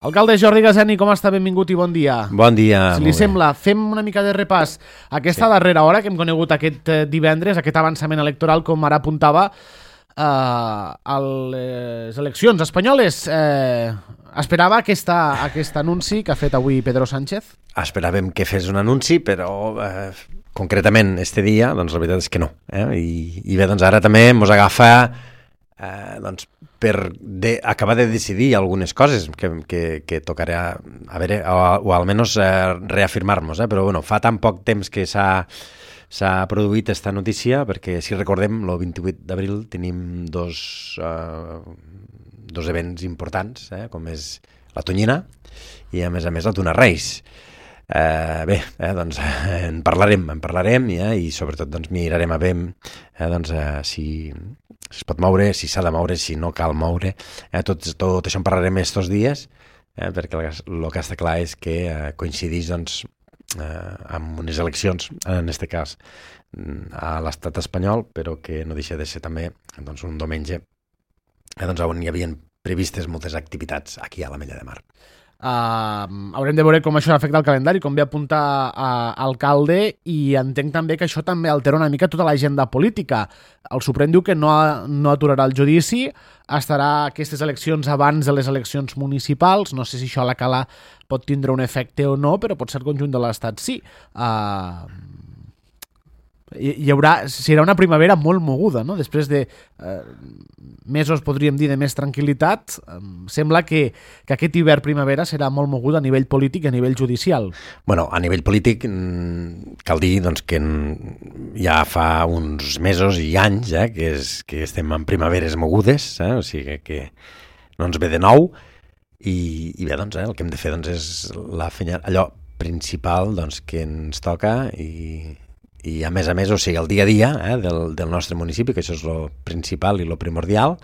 Alcalde Jordi Gazani, com està? Benvingut i bon dia. Bon dia. Si li sembla, fem una mica de repàs a aquesta darrera hora que hem conegut aquest divendres, aquest avançament electoral, com ara apuntava, a les eleccions espanyoles. Esperava aquest anunci que ha fet avui Pedro Sánchez? Esperàvem que fes un anunci, però concretament este dia, doncs la veritat és que no. I bé, doncs ara també mos agafa doncs per acabar de decidir algunes coses que tocarà a veure, o almenys reafirmar-nos, però bueno, fa tan poc temps que s'ha produït esta notícia, perquè si recordem, el 28 d'abril tenim dos events importants, com és la Tonyina i a més la Tuna Reis. Doncs en parlarem i sobretot doncs mirarem a veure si es pot moure, si s'ha de moure, si no cal moure. Tot això en parlarem estos dies, perquè el que està clar és que coincideix doncs, amb unes eleccions, en aquest cas a l'estat espanyol, però que no deixa de ser també doncs, un diumenge on hi havien previstes moltes activitats aquí a l'Ametlla de Mar. Haurem de veure com això afecta el calendari, com ve apuntar alcalde, i entenc també que això també altera una mica tota l'agenda política. El Suprem diu que no aturarà el judici, estarà aquestes eleccions abans de les eleccions municipals. No sé si això a la cala pot tindre un efecte o no, però pot ser el conjunt de l'Estat sí. Serà una primavera molt moguda, no? Després de mesos, podríem dir, de més tranquil·litat, sembla que aquest hivern-primavera serà molt moguda a nivell polític i a nivell judicial. Bueno, a nivell polític cal dir doncs, que ja fa uns mesos i anys que estem en primaveres mogudes, o sigui que no ens ve de nou, i bé, doncs, el que hem de fer doncs, és allò principal doncs, que ens toca i a més, o sigui, el dia a dia del nostre municipi, que això és el principal i el primordial,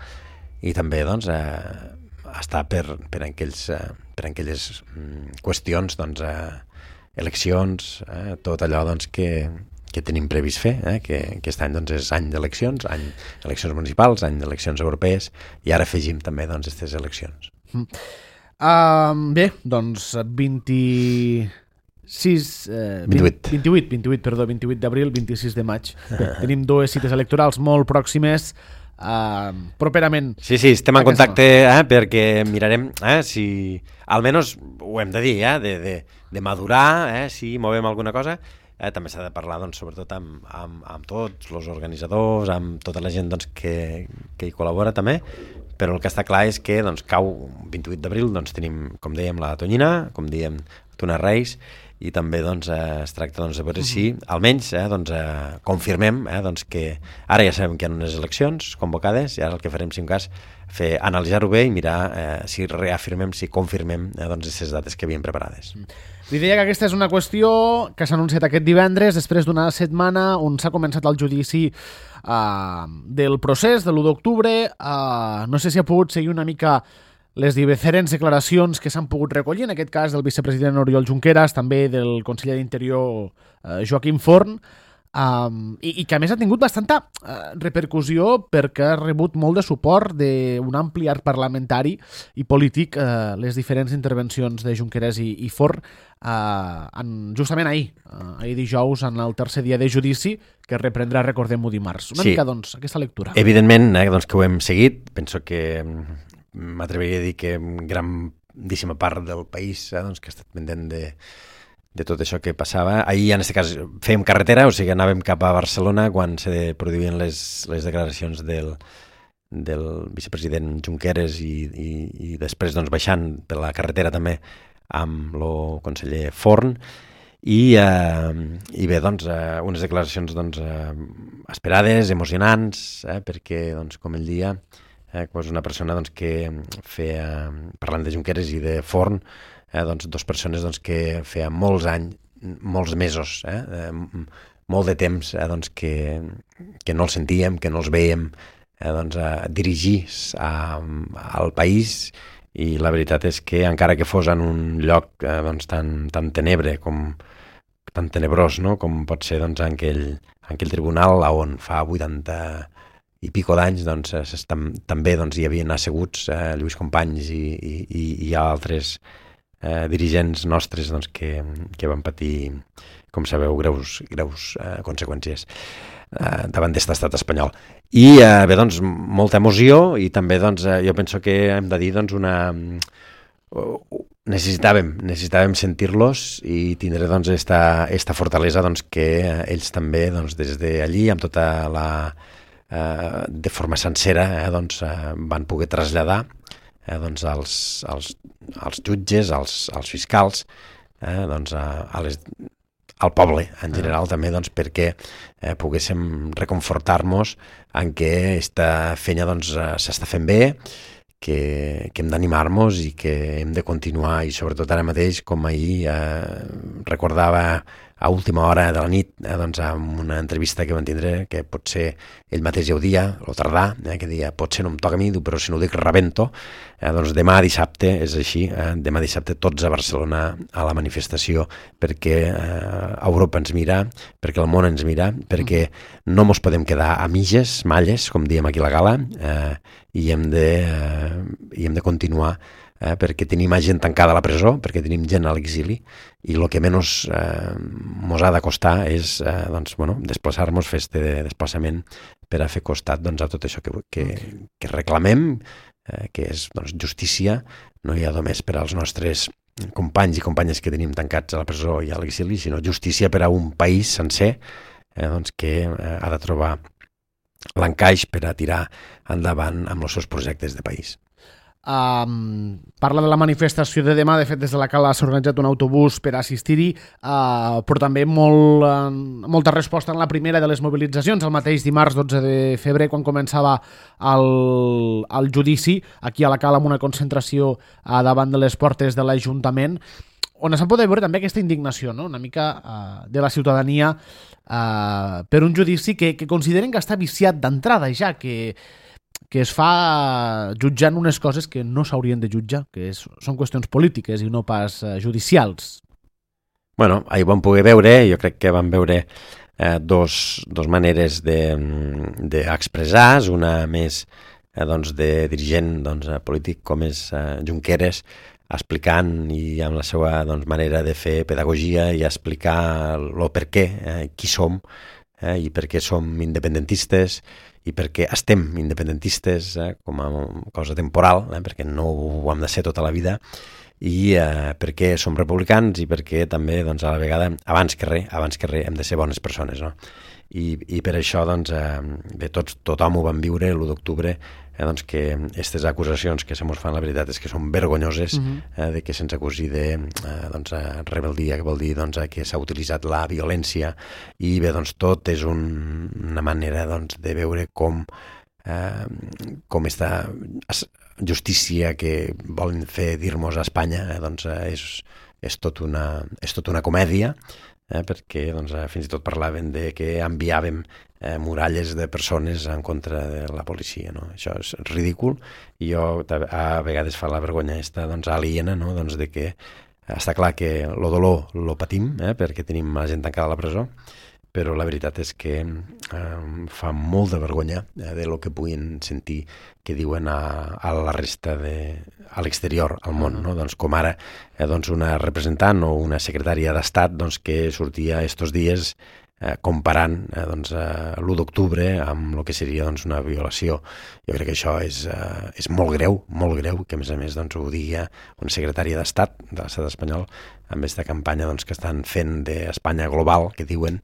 i també doncs, estar per aquelles qüestions, doncs, eleccions, tot allò doncs, que tenim previst fer, que aquest any doncs, és any d'eleccions, any d'eleccions municipals, any d'eleccions europees, i ara afegim també doncs, aquestes eleccions. Bé, doncs 28 d'abril, 26 de maig. Bé, tenim dues cites electorals molt pròximes properament. Sí, estem en contacte perquè mirarem si, almenys ho hem de dir, de madurar, si movem alguna cosa. També s'ha de parlar doncs, sobretot amb tots els organitzadors, amb tota la gent doncs, que hi col·labora també, però el que està clar és que doncs, cau 28 d'abril, doncs, tenim, com dèiem, la Tonyina, com dèiem, Tuna Reis, i també doncs, es tracta doncs, de veure si almenys confirmem que ara ja sabem que hi ha unes eleccions convocades, i ara el que farem, si un cas, analitzar-ho bé i mirar si reafirmem, si confirmem aquestes dates que havíem preparades. Li deia que aquesta és una qüestió que s'ha anunciat aquest divendres, després d'una setmana on s'ha començat el judici del procés de l'1 d'octubre. No sé si ha pogut seguir una mica les diferents declaracions que s'han pogut recollir, en aquest cas del vicepresident Oriol Junqueras, també del conseller d'Interior Joaquim Forn, i que a més ha tingut bastanta repercussió perquè ha rebut molt de suport d'un ampli arc parlamentari i polític les diferents intervencions de Junqueras i Forn justament ahir dijous, en el tercer dia de judici, que reprendrà, recordem-ho, dimarts. Una mica, doncs, aquesta lectura. Evidentment, doncs, que ho hem seguit. Penso que m'atreviria a dir que grandíssima part del país doncs, que ha estat pendent de tot això que passava. Ahir, en aquest cas, fèiem carretera, o sigui, anàvem cap a Barcelona quan se produïen les declaracions del vicepresident Junqueras i després doncs, baixant per la carretera també amb el conseller Forn i bé, doncs, unes declaracions doncs, esperades, emocionants, perquè, doncs, com ell dia, és una persona doncs, que feia, parlant de Junqueras i de Forn, doncs, dues persones doncs, que feia molts anys, molts mesos, molt de temps doncs, que no els sentíem, que no els veiem doncs, dirigir al país, i la veritat és que encara que fos en un lloc doncs, tan tenebre tan tenebrós, no? Com pot ser doncs, en aquell tribunal on fa 80 i pico d'anys, doncs, també doncs, hi havien asseguts Lluís Companys i altres dirigents nostres doncs, que van patir, com sabeu, greus conseqüències davant d'este estat espanyol. I bé, doncs, molta emoció i també doncs, jo penso que hem de dir doncs, necessitàvem sentir-los i tindre doncs, esta fortalesa doncs, que ells també doncs, des d'allí, amb tota la de forma sencera doncs, van poder traslladar doncs, als jutges, als fiscals, doncs, al poble en general també doncs, perquè poguéssim reconfortar-nos en què esta feina doncs, s'està fent bé, que hem d'animar-nos i que hem de continuar, i sobretot ara mateix, com ahir recordava a última hora de la nit, doncs, amb una entrevista que van tindre, que potser ell mateix ja ho dia, o tardà, que dia, potser no em toca a mi, però si no ho dic rebento, doncs demà dissabte és així, demà dissabte tots a Barcelona a la manifestació, perquè Europa ens mira, perquè el món ens mira, perquè no mos podem quedar a mitges, malles, com diem aquí a la Gala, i hem de continuar, perquè tenim gent tancada a la presó, perquè tenim gent a l'exili, i el que menys mos ha de costar és doncs, desplaçar-nos, fer este desplaçament per a fer costat doncs, a tot això que reclamem, que és doncs, justícia, no hi ha només per als nostres companys i companyes que tenim tancats a la presó i a l'exili, sinó justícia per a un país sencer doncs, que ha de trobar l'encaix per a tirar endavant amb els seus projectes de país. Parla de la manifestació de demà. De fet, des de la Cala s'ha organitzat un autobús per assistir-hi, però també molta resposta en la primera de les mobilitzacions, el mateix dimarts 12 de febrer, quan començava el judici, aquí a la Cala, amb una concentració davant de les portes de l'Ajuntament, on s'ha pogut veure també aquesta indignació, no? Una mica de la ciutadania per un judici que consideren que està viciat d'entrada ja, que es fa jutjant unes coses que no s'haurien de jutjar, que són qüestions polítiques i no pas judicials. Bueno, ahir vam poder veure, jo crec que vam veure dos maneres d'expressar, una més doncs, de dirigent doncs, polític com és Junqueras, explicant i amb la seva doncs, manera de fer pedagogia i explicar el per què, qui som i per què som independentistes i perquè estem independentistes com a cosa temporal, perquè no ho hem de ser tota la vida, i perquè som republicans i perquè també doncs, a la vegada, abans que res hem de ser bones persones, no? I per això doncs, bé, tothom ho vam viure l'1 d'octubre, doncs, que aquestes acusacions que se mos fan, la veritat és que són vergonyoses, de que se'ns acusi de doncs, rebel·lia, que vol dir doncs, que s'ha utilitzat la violència, i bé, doncs, tot és una manera doncs, de veure com esta justícia que volen fer dir-nos a Espanya doncs, és tot una comèdia, perquè doncs, fins i tot parlaven de que enviàvem muralles de persones en contra de la policia, no? Això és ridícul, i jo a vegades fa la vergonya doncs, aliena, no? Doncs, de que està clar que el dolor lo patim, perquè tenim la gent tancada a la presó, però la veritat és que fa molt de vergonya de lo que puguin sentir que diuen a la resta a l'exterior, al món, no? Doncs, com ara doncs, una representant o una secretària d'Estat doncs, que sortia estos dies comparant doncs, l'1 d'octubre amb el que seria doncs, una violació. Jo crec que això és molt greu, que a més doncs, ho digui una secretària d'Estat de l'Estat espanyol amb aquesta campanya doncs, que estan fent d'Espanya global, que diuen,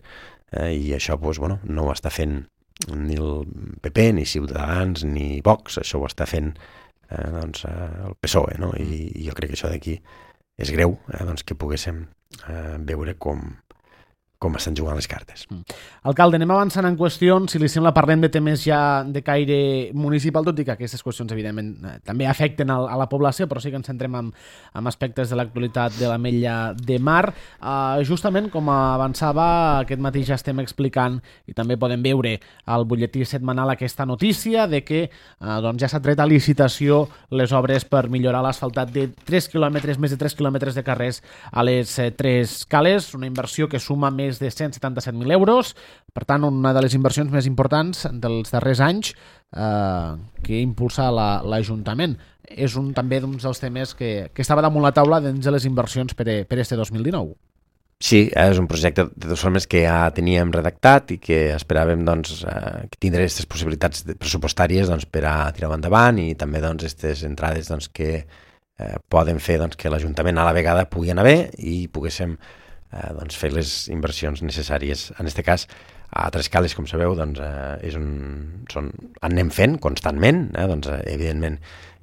i això doncs, no ho està fent ni el PP, ni Ciutadans, ni Vox, això ho està fent doncs, el PSOE, no? I jo crec que això d'aquí és greu, doncs, que poguéssim veure com estan jugant les cartes. Alcalde, anem avançant en qüestions. Si li sembla, parlem de temes ja de caire municipal, tot i que aquestes qüestions, evidentment, també afecten a la població, però sí que ens centrem en aspectes de l'actualitat de l'Ametlla de Mar. Justament, com avançava, aquest matí ja estem explicant, i també podem veure al butlletí setmanal aquesta notícia de que doncs ja s'ha tret a licitació les obres per millorar l'asfaltat de 3 quilòmetres, més de 3 quilòmetres de carrers a les 3 cales, una inversió que suma més és de 177.000 euros, per tant, una de les inversions més importants dels darrers anys que impulsa l'Ajuntament. És també d'un dels temes que estava damunt la taula dins de les inversions per este 2019. Sí, és un projecte de totes formes que ja teníem redactat i que esperàvem que tindre aquestes possibilitats pressupostàries per a tirar endavant i també aquestes entrades que poden fer que l'Ajuntament a la vegada pugui anar bé i poguéssim fer les inversions necessàries. En aquest cas, a Trescales, com sabeu, anem fent constantment, evidentment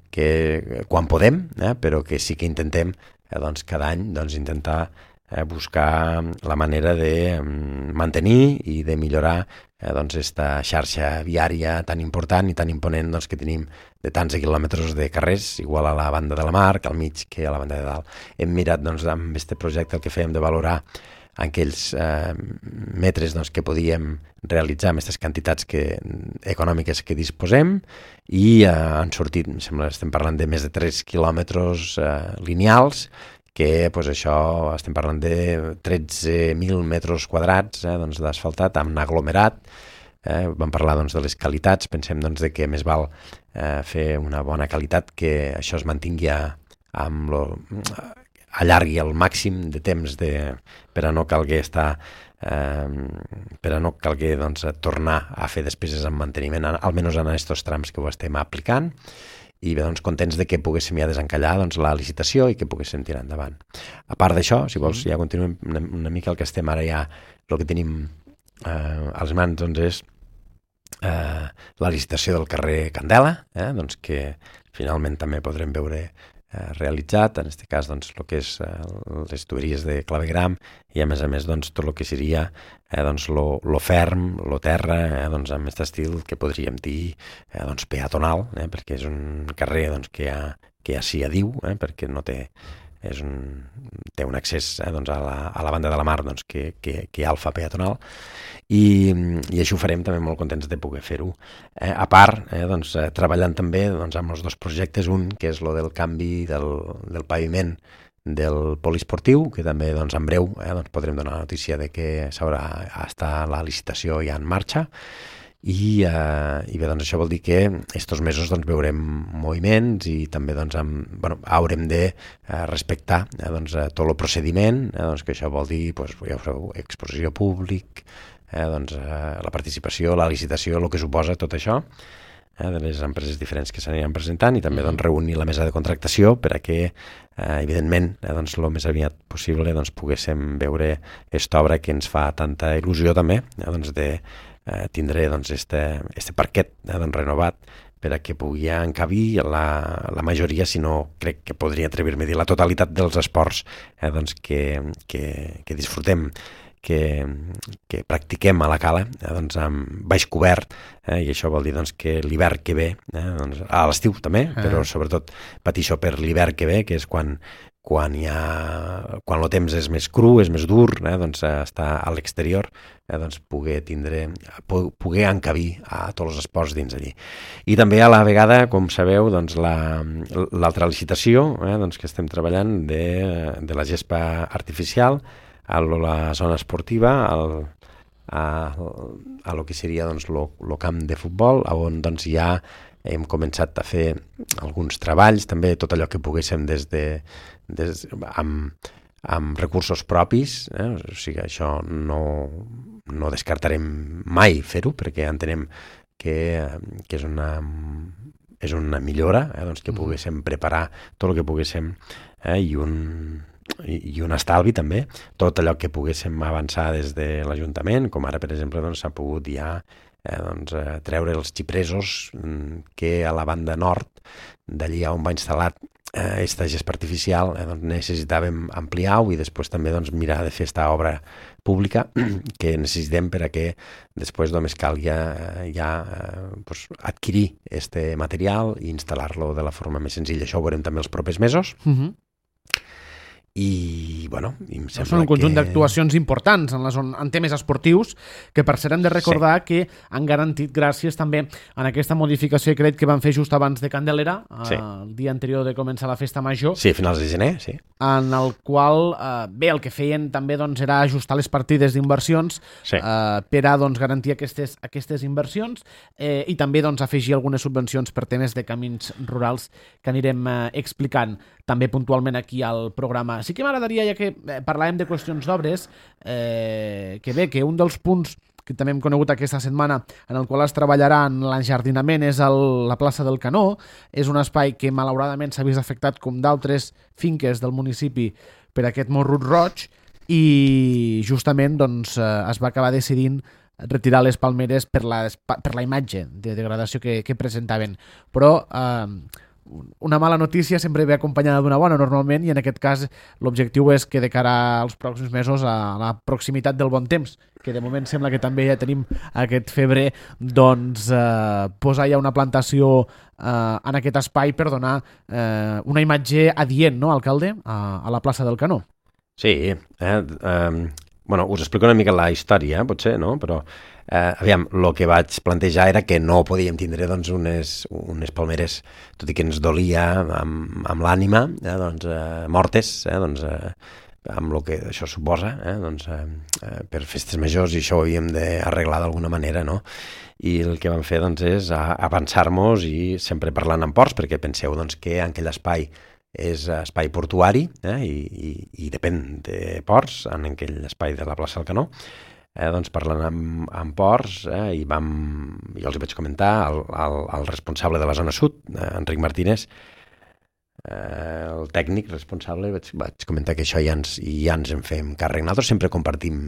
que quan podem, però que sí que intentem cada any intentar buscar la manera de mantenir i de millorar esta xarxa viària tan important i tan imponent que tenim de tants quilòmetres de carrers, igual a la banda de la mar, que al mig, que a la banda de dalt. Hem mirat amb aquest projecte el que fèiem de valorar aquells metres que podíem realitzar amb aquestes quantitats econòmiques que disposem i han sortit, em sembla, estem parlant de més de 3 quilòmetres lineals, que això estem parlant de 13.000 metres quadrats d'asfaltat amb aglomerat. Vam parlar de les qualitats, pensem de que més val fer una bona qualitat, que això es mantingui allargui el màxim de temps per a no calguer tornar a fer despeses en manteniment, almenys en aquests trams que ho estem aplicant. I bé, contents de que poguéssim ja desencallar la licitació i que poguéssim tirar endavant. A part d'això, si vols, ja continuem una mica el que estem ara ja, el que tenim a les mans és la licitació del carrer Candela, que finalment també podrem veure realitzat, en aquest cas el que és les tuberies de clavegram i a més tot el que seria lo ferm, lo terra, amb aquest estil que podríem dir peatonal, perquè és un carrer que ja s'hi adiu, perquè no té un accés a la banda de la mar que ja el fa peatonal i això ho farem també molt contents de poder fer-ho. A part, treballant també amb els dos projectes, un que és el del canvi del paviment del poliesportiu, que també en breu podrem donar la notícia de que està la licitació ja en marxa. I bé, això vol dir que estos mesos veurem moviments i també haurem de respectar tot el procediment, que això vol dir, ja ho sabeu, exposició públic, la participació, la licitació, el que suposa tot això, de les empreses diferents que s'aniran presentant i també reunir la mesa de contractació per a que, evidentment, el més aviat possible poguéssim veure aquesta obra que ens fa tanta il·lusió també, de tindré este parquet renovat per a que pugui encabir la majoria, si no crec que podria atrevir-me a dir la totalitat dels esports que disfrutem, que practiquem a la cala amb baix cobert, i això vol dir que l'hivern que ve, a l'estiu també, però sobretot patir això per l'hivern que ve, que és quan el temps és més cru, és més dur, estar a l'exterior, poder encabir a tots els esports dins allí. I també a la vegada, com sabeu, l'altra licitació que estem treballant de la gespa artificial a la zona esportiva, a lo que seria el camp de futbol, on ja hem començat a fer alguns treballs, també tot allò que poguéssim amb recursos propis, o sigui, això no descartarem mai fer-ho, perquè entenem que és una millora, que poguéssim preparar tot el que poguéssim i un estalvi també, tot allò que poguéssim avançar des de l'Ajuntament, com ara, per exemple, s'ha pogut ja treure els xipresos que a la banda nord, d'allí on va instal·lar aquesta gespa artificial, necessitàvem ampliar-ho i després també mirar de fer aquesta obra pública que necessitem per a que després només calgui ja adquirir aquest material i instal·lar-lo de la forma més senzilla. Això ho veurem també els propers mesos. I bueno, i em sembla són un conjunt d'actuacions importants en temes esportius, que per cert hem de recordar que han garantit gràcies també en aquesta modificació de crèdit que van fer just abans de Candelera, el dia anterior de començar la festa major. Sí, a finals de gener, sí. En el qual, el que feien també era ajustar les partides d'inversions per a garantir aquestes inversions i també afegir algunes subvencions per temes de camins rurals que anirem explicant també puntualment aquí al programa. Sí que m'agradaria, ja que parlàvem de qüestions d'obres, que un dels punts que també hem conegut aquesta setmana en el qual es treballarà en l'enjardinament és la plaça del Canó. És un espai que malauradament s'ha vist afectat com d'altres finques del municipi per aquest morrut roig i justament es va acabar decidint retirar les palmeres per la imatge de degradació que presentaven. Però una mala notícia sempre ve acompanyada d'una bona normalment, i en aquest cas l'objectiu és que de cara als pròxims mesos, a la proximitat del bon temps, que de moment sembla que també ja tenim aquest febrer, posar ja una plantació en aquest espai per donar una imatge adient, no, alcalde, a la plaça del Canó. Sí, us explico una mica la història, potser, no? Però aviam, el que vaig plantejar era que no podíem tindre unes palmeres, tot i que ens dolia amb l'ànima, mortes, amb el que això suposa, per festes majors, i això ho havíem d'arreglar d'alguna manera, no? I el que vam fer és avançar-nos, i sempre parlant amb ports, perquè penseu que aquell espai és espai portuari i depèn de ports, en aquell espai de la plaça del Canó. Parlant amb ports, i jo els vaig comentar al responsable de la zona sud, Enric Martínez, el tècnic responsable, vaig comentar que això ja ens en fem càrrec. Nosaltres sempre compartim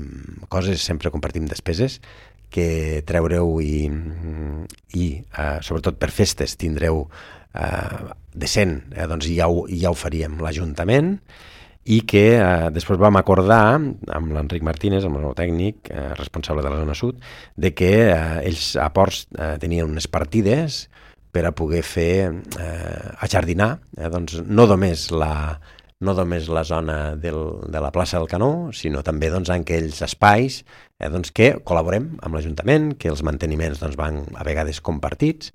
coses, sempre compartim despeses, que treureu i sobretot per festes tindreu decent, ja ho faríem l'Ajuntament, i que després vam acordar amb l'Enric Martínez, amb el nou tècnic responsable de la zona sud, de que ells a Ports tenien unes partides per a poder fer ajardinar, no només la zona de la plaça del Canó, sinó també en aquells espais que col·laborem amb l'Ajuntament, que els manteniments van a vegades compartits,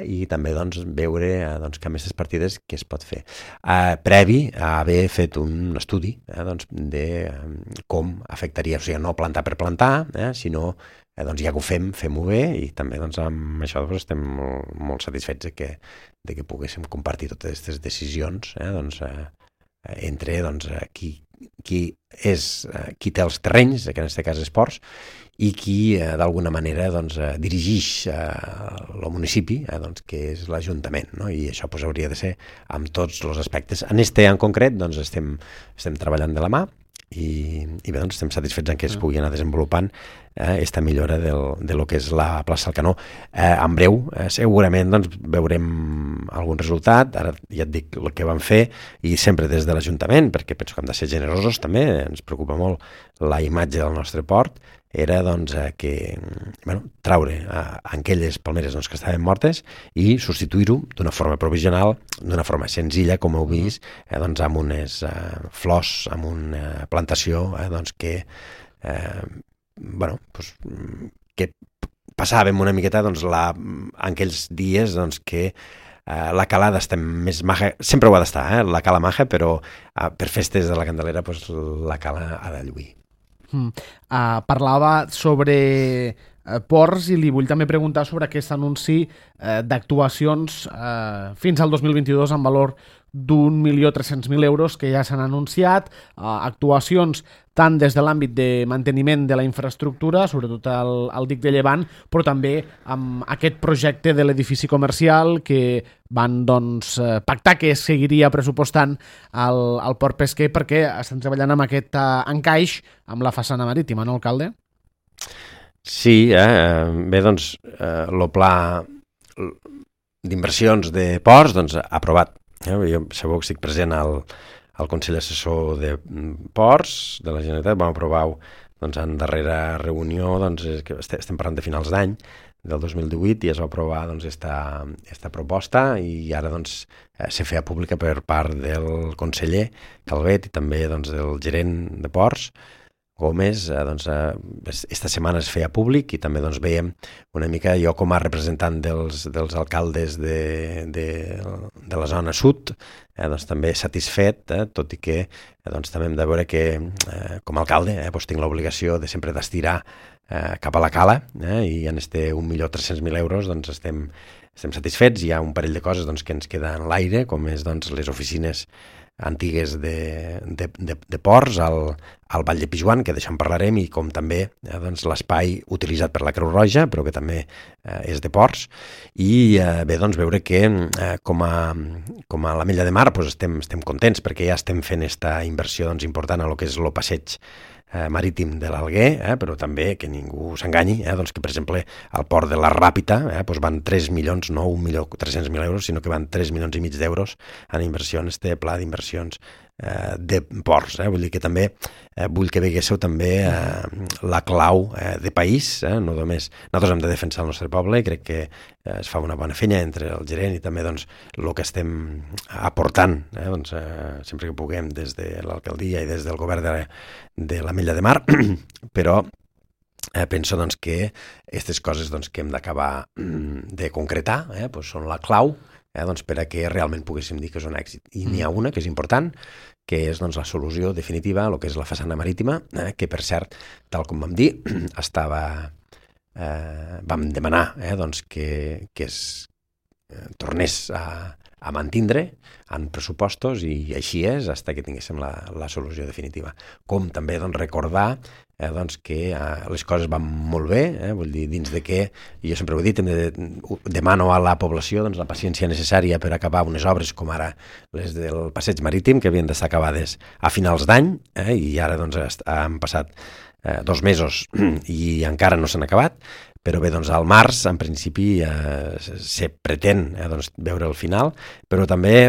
i també veure que amb aquestes partides què es pot fer. Previ a haver fet un estudi de com afectaria, o sigui, no plantar per plantar, sinó ja que ho fem-ho bé, i també amb això estem molt satisfets de que poguéssim compartir totes aquestes decisions entre qui té els terrenys, que en aquest cas és Ports, i qui d'alguna manera dirigix el municipi, que és l'Ajuntament, no? I això hauria de ser amb tots els aspectes. En en concret estem treballant de la mà, i bé, estem satisfets en que es pugui anar desenvolupant aquesta millora de lo que és la plaça del Canó. En breu, segurament veurem algun resultat. Ara ja et dic el que vam fer, i sempre des de l'Ajuntament, perquè penso que hem de ser generosos també, ens preocupa molt la imatge del nostre port, era que traure aquelles palmeres que estaven mortes i substituir-ho d'una forma provisional, d'una forma senzilla, com heu vist, amb unes flors, amb una plantació que passàvem una miqueta en aquells dies que la cala està més maja, sempre ho ha d'estar, la cala maja, però per festes de la Candelera la cala ha de lluir. Parlava sobre ports, i li vull també preguntar sobre aquest anunci d'actuacions fins al 2022 en valor d'1.300.000 euros que ja s'han anunciat, actuacions tant des de l'àmbit de manteniment de la infraestructura, sobretot al dic de Llevant, però també amb aquest projecte de l'edifici comercial que van pactar que es seguiria pressupostant al Port Pesquer, perquè estan treballant amb aquest encaix amb la façana marítima, no, alcalde? Sí, bé, el pla d'inversions de ports aprovat. Jo sabeu que estic present al Consell Assessor de Ports de la Generalitat. Vam aprovar en darrera reunió, que estem parlant de finals d'any, del 2018 i es va aprovar doncs, esta proposta i ara doncs, se feia pública per part del conseller Calvet i també doncs, del gerent de Ports, Gómez. Esta setmana es feia públic i també doncs, veiem una mica, jo com a representant dels alcaldes de la zona sud, doncs, també satisfet, tot i que doncs, també hem de veure que com a alcalde doncs, tinc l'obligació de sempre d'estirar cap a la cala i en este 1.300.000 euros doncs, estem satisfets. Hi ha un parell de coses doncs, que ens queden en l'aire, com és doncs, les oficines antigues de Ports al Vall de Pijuan, que d'això en parlarem, i com també doncs, l'espai utilitzat per la Creu Roja, però que també és de Ports. I bé, doncs, veure que com a l'Ametlla de Mar doncs, estem contents perquè ja estem fent aquesta inversió doncs, important a lo que és el passeig marítim de l'Alguer, però també que ningú s'enganyi, doncs que per exemple al port de la Ràpita doncs van 3 milions, no 1.300.000 euros, sinó que van 3 milions i mig d'euros en inversions, este pla d'inversions de ports. Vull dir que també vull que veguéssiu també la clau de país, no només nosaltres hem de defensar el nostre poble i crec que es fa una bona feina entre el gerent i també doncs, el que estem aportant doncs, sempre que puguem des de l'alcaldia i des del govern de l'Ametlla de Mar, però penso doncs, que aquestes coses doncs, que hem d'acabar de concretar doncs, són la clau doncs, per a que realment poguéssim dir que és un èxit. I n'hi ha una que és important, que és doncs, la solució definitiva, el que és la façana marítima, que per cert, tal com vam dir, vam demanar doncs, que es tornés a mantindre en pressupostos i així és, fins que tinguéssim la solució definitiva. Com també doncs, recordar doncs, que les coses van molt bé, vull dir, dins de que, jo sempre ho he dit, demano a la població doncs, la paciència necessària per acabar unes obres com ara les del passeig marítim, que havien d'estar acabades a finals d'any, i ara doncs, han passat 2 mesos i encara no s'han acabat, però bé, doncs al març, en principi, se pretén doncs, veure el final, però també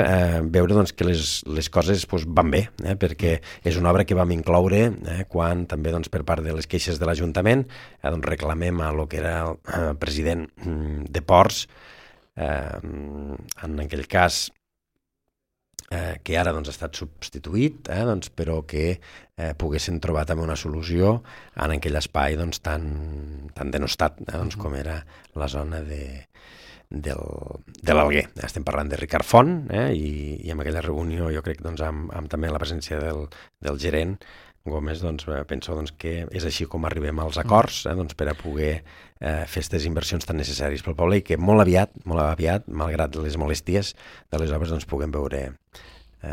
veure doncs, que les coses doncs, van bé, perquè és una obra que vam incloure quan també doncs, per part de les queixes de l'Ajuntament doncs, reclamem a lo que era el president de Ports, en aquell cas que ara doncs, ha estat substituït, doncs, però que poguessin trobar també una solució en aquell espai doncs, tan denostat doncs, com era la zona de l'Alguer. Estem parlant de Ricard Font i en aquella reunió jo crec doncs, amb també la presència del gerent Gómez, doncs, penso doncs, que és així com arribem als acords doncs, per a poder fer aquestes inversions tan necessàries pel poble i que molt aviat, malgrat les molèsties de les obres, doncs, puguem veure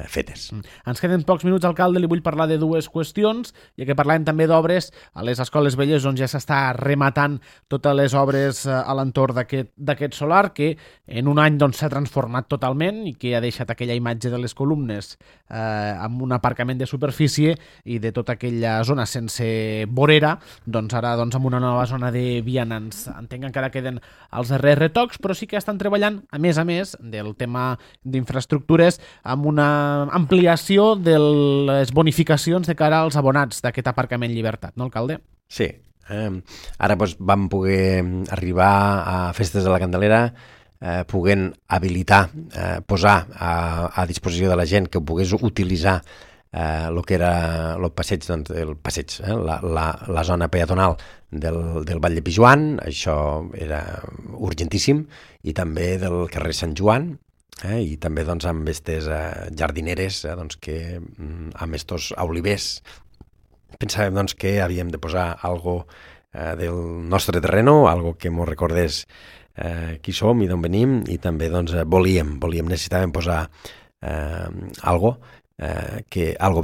fetes. Ens queden pocs minuts, alcalde, li vull parlar de 2 qüestions, ja que parlàvem també d'obres a les escoles velles on ja s'està rematant totes les obres a l'entorn d'aquest solar, que en un any doncs, s'ha transformat totalment i que ha deixat aquella imatge de les columnes amb un aparcament de superfície i de tota aquella zona sense vorera, doncs ara doncs, amb una nova zona de vianants. Entenc que encara queden els darrers retocs, però sí que estan treballant, a més del tema d'infraestructures, amb una ampliació de les bonificacions de cara als abonats d'aquest aparcament Llibertat, no, alcalde? Sí. Ara doncs, vam poder arribar a Festes de la Candelera puguent habilitar, posar a disposició de la gent que ho pogués utilitzar el que era el passeig, doncs, la zona peatonal del Vall de Pijuan. Això era urgentíssim, i també del carrer Sant Joan, i també doncs, amb aquestes jardineres doncs, que amb estos olivers pensàvem doncs, que havíem de posar algo del nostre terreno, algo que ens recordés qui som i d'on venim, i també doncs, necessitàvem posar algo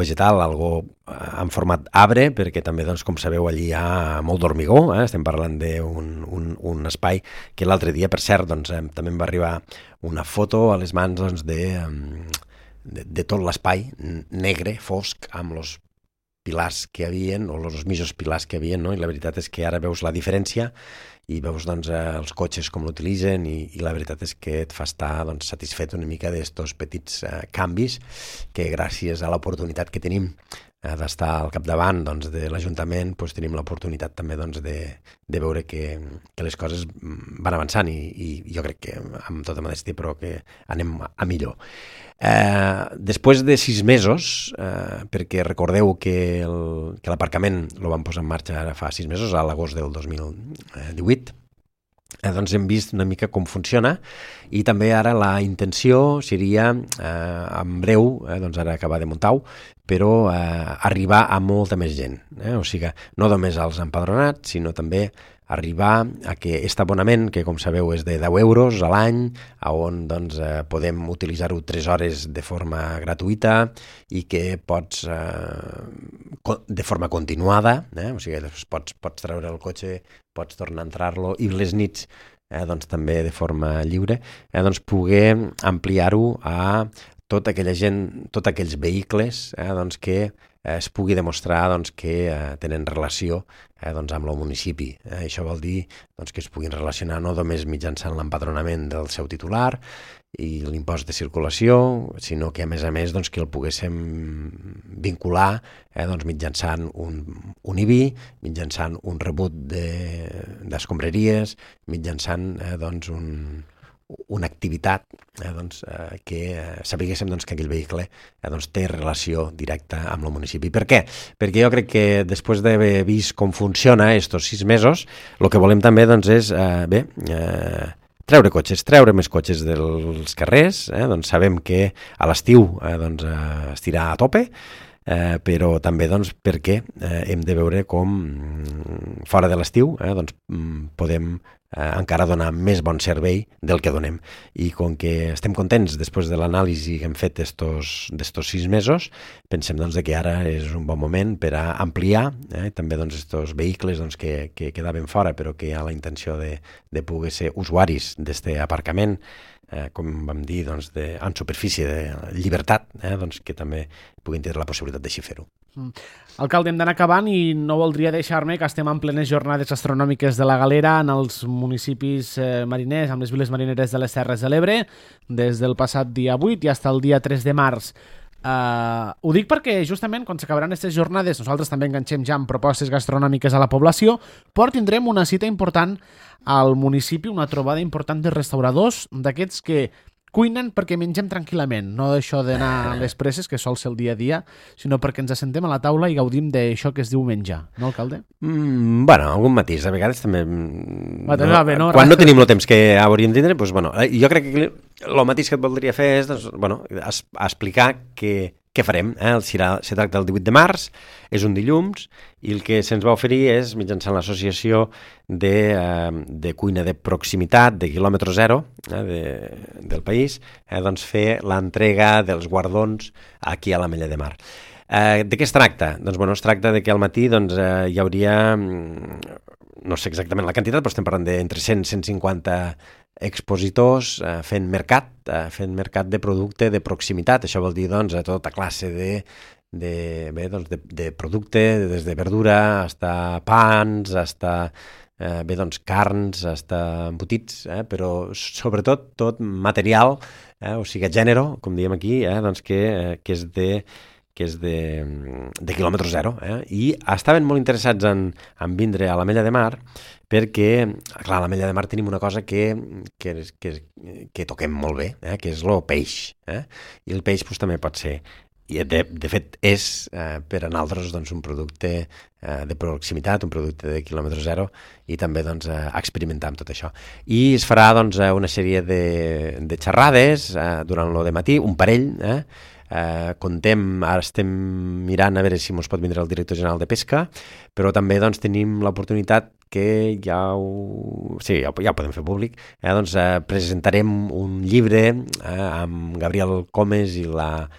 vegetal, algo en format arbre, perquè també, doncs, com sabeu, allí hi ha molt d'hormigó, estem parlant d'un espai que l'altre dia, per cert, doncs, també em va arribar una foto a les mans doncs, de tot l'espai negre, fosc, amb els pilars que hi havia, o els mitjos pilars que hi havia, no? I la veritat és que ara veus la diferència i veus doncs, els cotxes com l'utilitzen i la veritat és que et fa estar doncs, satisfet una mica d'estos petits canvis que gràcies a l'oportunitat que tenim d'estar al capdavant doncs, de l'Ajuntament, doncs, tenim l'oportunitat també doncs, de veure que les coses van avançant i jo crec que amb tota modèstia però que anem a millor. Després de 6 mesos, perquè recordeu que l'aparcament el vam posar en marxa ara fa 6 mesos, a l'agost del 2018, doncs hem vist una mica com funciona i també ara la intenció seria en breu, doncs ara acabar de muntar-ho, però arribar a molta més gent. O sigui, no només als empadronats, sinó també arribar a que aquest abonament, que com sabeu és de 10 euros a l'any, on doncs, podem utilitzar-ho 3 hores de forma gratuïta i que pots, de forma continuada, o sigui, pots treure el cotxe, pots tornar a entrar-lo i les nits doncs, també de forma lliure, doncs poder ampliar-ho a tota aquella gent, tots aquells vehicles doncs, que es pugui demostrar doncs, que tenen relació doncs, amb el municipi. Això vol dir doncs, que es puguin relacionar no només mitjançant l'empadronament del seu titular i l'impost de circulació, sinó que a més doncs, que el poguéssim vincular doncs, mitjançant un IBI, mitjançant un rebut d'escombraries, mitjançant doncs, una activitat doncs, que sapiguéssim doncs, que aquell vehicle doncs, té relació directa amb el municipi. Per què? Perquè jo crec que després d'haver vist com funciona estos 6 mesos, el que volem també doncs, és treure més cotxes dels carrers, doncs sabem que a l'estiu doncs, es tirà a tope, però també doncs, perquè hem de veure com fora de l'estiu doncs, podem encara donar més bon servei del que donem. I com que estem contents després de l'anàlisi que hem fet d'estos 6 mesos, pensem doncs, que ara és un bon moment per a ampliar també doncs, estos vehicles doncs, que quedaven fora però que hi ha la intenció de poder ser usuaris d'aquest aparcament, com vam dir, doncs, en superfície de llibertat, doncs, que també puguin tenir la possibilitat d'així fer-ho. Alcalde, hem d'anar acabant i no voldria deixar-me que estem en plenes jornades astronòmiques de la Galera en els municipis mariners, amb les viles marineres de les Terres de l'Ebre, des del passat dia 8 i fins al dia 3 de març. Ho dic perquè justament quan s'acabaran aquestes jornades nosaltres també enganxem ja amb propostes gastronòmiques a la població, però tindrem una cita important al municipi, una trobada important de restauradors, d'aquests que cuinen perquè mengem tranquil·lament, no d'això d'anar a les presses, que sol ser el dia a dia, sinó perquè ens assentem a la taula i gaudim d'això que es diu menjar, no, alcalde? Bueno, algun matís, a vegades també... Quan no tenim el temps que hauríem de tindre, doncs, bueno, jo crec que el matís que et voldria fer és doncs, bueno, explicar què farem. Se tracta el 18 de març, és un dilluns, i el que se'ns va oferir és, mitjançant l'associació de cuina de proximitat, de quilòmetre zero del país, doncs fer l'entrega dels guardons aquí a l'Ametlla de Mar. De què es tracta? Doncs, bueno, es tracta de que al matí doncs, hi hauria, no sé exactament la quantitat, però estem parlant d'entre 100 i 150 expositors fent mercat de producte de proximitat. Això vol dir doncs, tota classe de producte, des de verdura, fins pans, fins doncs, carns, fins embotits, però sobretot tot material, o sigui, gènere, com diem aquí, doncs, que és de quilòmetre zero. I estaven molt interessats en vindre a l'Ametlla de Mar perquè, clar, a l'Ametlla de Mar tenim una cosa que toquem molt bé, que és el peix. I el peix doncs, també pot ser, i de fet és per a nosaltres doncs, un producte de proximitat, un producte de quilòmetre zero, i també doncs, experimentar amb tot això. I es farà doncs, una sèrie de xerrades durant el matí, un parell, ara estem mirant a veure si ens pot vindre el director general de Pesca, però també doncs, tenim l'oportunitat que ja ho podem fer públic, doncs, presentarem un llibre amb Gabriel Comes i la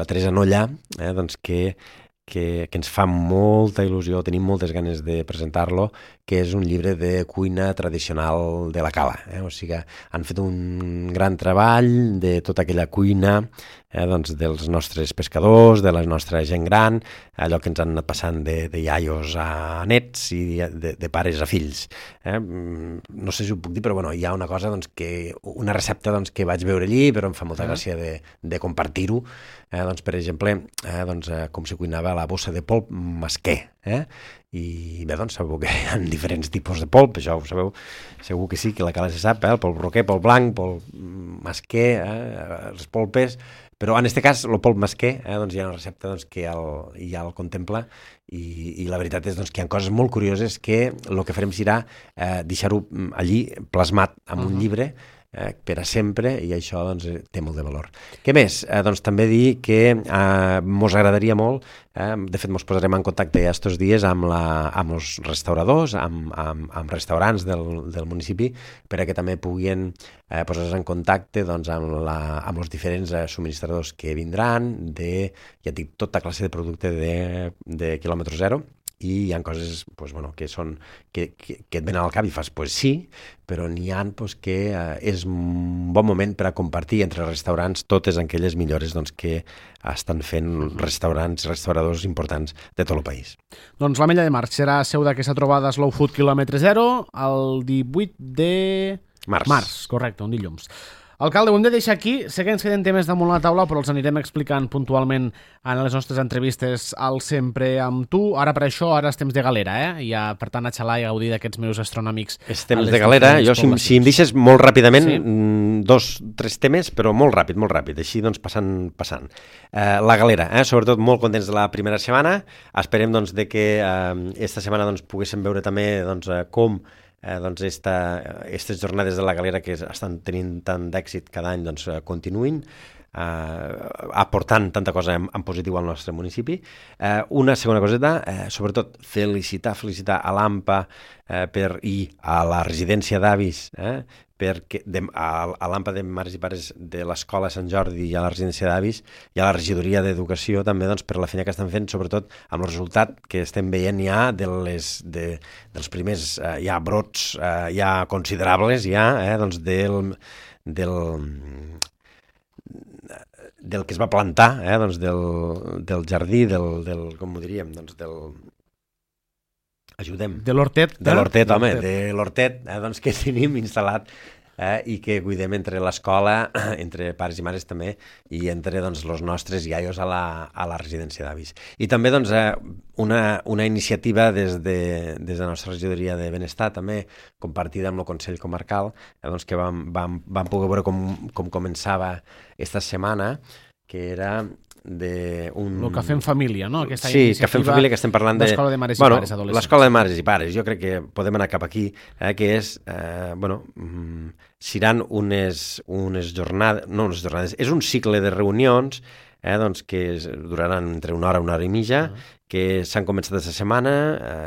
Teresa Nolla, doncs, que ens fa molta il·lusió, tenim moltes ganes de presentar-lo, que és un llibre de cuina tradicional de la Cala. O sigui, han fet un gran treball de tota aquella cuina doncs dels nostres pescadors, de la nostra gent gran, allò que ens han anat passant de iaios a nets i de pares a fills. No sé si ho puc dir, però bueno, hi ha una cosa, doncs, una recepta doncs, que vaig veure allí, però em fa molta gràcia de compartir-ho. Doncs, per exemple, com se cuinava la bossa de polp mesquer. I bé, doncs sabeu que hi ha diferents tipus de polp, això ho sabeu, segur que sí, que la Cala se sap, el polp roquer, polp blanc, polp mesquer, les polpes, però en aquest cas el polp mesquer, doncs hi ha una recepta doncs, que ja el contempla i la veritat és doncs, que hi ha coses molt curioses que el que farem serà deixar-ho allí plasmat en un llibre per a sempre, i això doncs, té molt de valor. Què més? Doncs també dir que mos agradaria molt, de fet mos posarem en contacte ja estos dies amb els restauradors, amb restaurants del municipi, per a que també puguin posar-se en contacte doncs, amb els diferents subministradors que vindran, ja dic, tota classe de producte de quilòmetre zero. I hi ha coses pues, bueno, que et venen al cap i fas, pues sí, però n'hi ha pues, que és un bon moment per a compartir entre restaurants totes aquelles millores doncs, que estan fent restaurants i restauradors importants de tot el país. Doncs l'Ametlla de Mar serà seu d'aquesta trobada Slow Food quilòmetre zero el 18 de març, correcte, un dilluns. Alcalde, ho hem de deixar aquí. Sé que ens queden temes damunt la taula, però els anirem explicant puntualment en les nostres entrevistes al Sempre amb tu. Ara per això, ara és temps de galera, Ja, per tant, a xalar i gaudir d'aquests meus astronòmics. És temps de galera. Jo, si em deixes molt ràpidament, 2-3 temes, però molt ràpid, així doncs passant. La galera, sobretot molt contents de la primera setmana. Esperem doncs, de que esta setmana doncs, poguéssim veure també doncs, com aquestes jornades de la galera que estan tenint tant d'èxit cada any doncs, continuïn aportant tanta cosa en positiu al nostre municipi. Una segona coseta, sobretot felicitar a l'AMPA i a la residència d'avis, perquè a l'AMPA de mares i pares de l'Escola Sant Jordi i a la residència d'avis i a la regidoria d'Educació també doncs, per la feina que estan fent, sobretot amb el resultat que estem veient ja dels primers brots ja considerables doncs del que es va plantar, doncs del jardí, com ho diríem, doncs ajudem. De l'hortet. De l'hortet, home, de l'hortet doncs, que tenim instal·lat i que cuidem entre l'escola, entre pares i mares també, i entre doncs, els nostres iaios a la residència d'avis. I també doncs, una iniciativa des de la nostra regidoria de Benestar, també compartida amb el Consell Comarcal, doncs, que vam poder veure com començava esta setmana, que era el Cafè en Família, no? Aquesta sí, Cafè en Família, que estem parlant d'Escola de Mares i Pares Adolescents. L'Escola de Mares i Pares, jo crec que podem anar cap aquí, que és, seran unes jornades, és un cicle de reunions doncs, que duraran entre una hora i mitja, que s'han començat aquesta setmana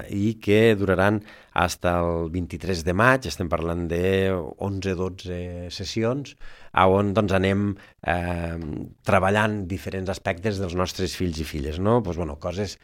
i que duraran fins al 23 de maig, estem parlant de 11-12 sessions, on doncs, anem treballant diferents aspectes dels nostres fills i filles, no? Pues, coses,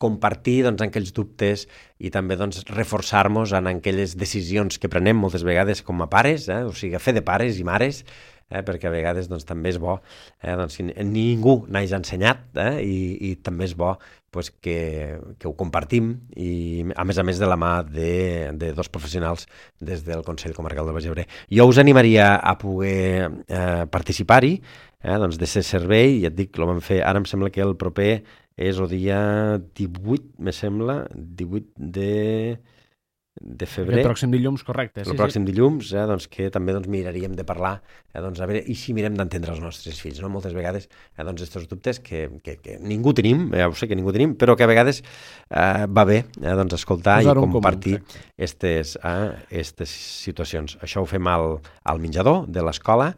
compartir doncs, aquells dubtes i també doncs, reforçar-nos en aquelles decisions que prenem moltes vegades com a pares, o sigui, fer de pares i mares, perquè a vegades doncs, també és bo, doncs, ningú n'hagi ensenyat i també és bo pues, que ho compartim i a més de la mà de dos professionals des del Consell Comarcal del Baix Ebre. Jo us animaria a poder participar-hi, doncs, de ser servei, ja et dic, ho vam fer, ara em sembla que el proper és el dia 18, me sembla, 18 de febrer. El pròxim dilluns, correcte. El pròxim dilluns, doncs, que també doncs, miraríem de parlar, doncs, a veure, i si mirem d'entendre els nostres fills, no? Moltes vegades, doncs, aquests dubtes que ningú tenim, ja ho sé que ningú tenim, però que a vegades va bé, doncs, escoltar i compartir aquestes situacions. Això ho fem al menjador de l'escola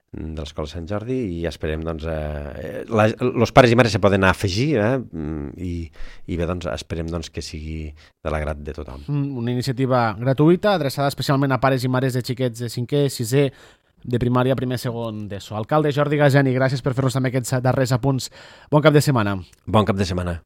Sant Jordi i esperem, doncs, els pares i mares se poden afegir i bé, doncs, esperem doncs, que sigui de l'agrat de tothom. Una iniciativa gratuïta, adreçada especialment a pares i mares de xiquets de 5è, 6è, de primària, primer, segon d'ESO. Alcalde Jordi Gageni, gràcies per fer-nos també aquests darrers apunts. Bon cap de setmana. Bon cap de setmana.